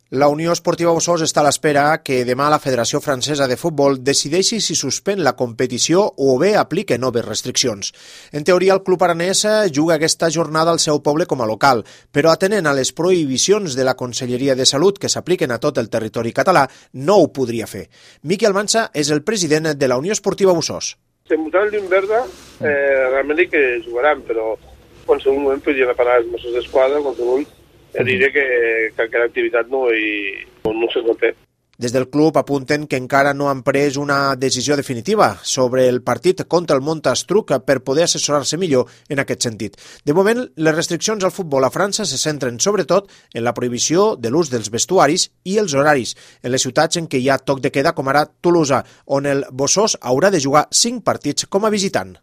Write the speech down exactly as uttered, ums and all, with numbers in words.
La Unió Esportiva Bossòst està a l'espera que demà la Federació Francesa de Futbol decideixi si suspèn la competició o bé aplica noves restriccions. En teoria, el club aranès juga aquesta jornada al seu poble com a local, però atenent a les prohibicions de la Conselleria de Salut que s'apliquen a tot el territori català, no ho podria fer. Miqui Almansa és el president de la Unió Esportiva Bossòst. Si em votaran llum verda, eh, realment que jugaran, però en qualsevol moment podrien parar els Mossos d'Esquadra, en qualsevol ja diré que, que aquella activitat no, hi, no se pot fer. Des del club apunten que encara no han pres una decisió definitiva sobre el partit contra el Montastruc per poder assessorar-se millor en aquest sentit. De moment, les restriccions al futbol a França se centren sobretot en la prohibició de l'ús dels vestuaris i els horaris, en les ciutats en què hi ha toc de queda, com ara Tolosa, on el Bossòst haurà de jugar cinc partits com a visitant.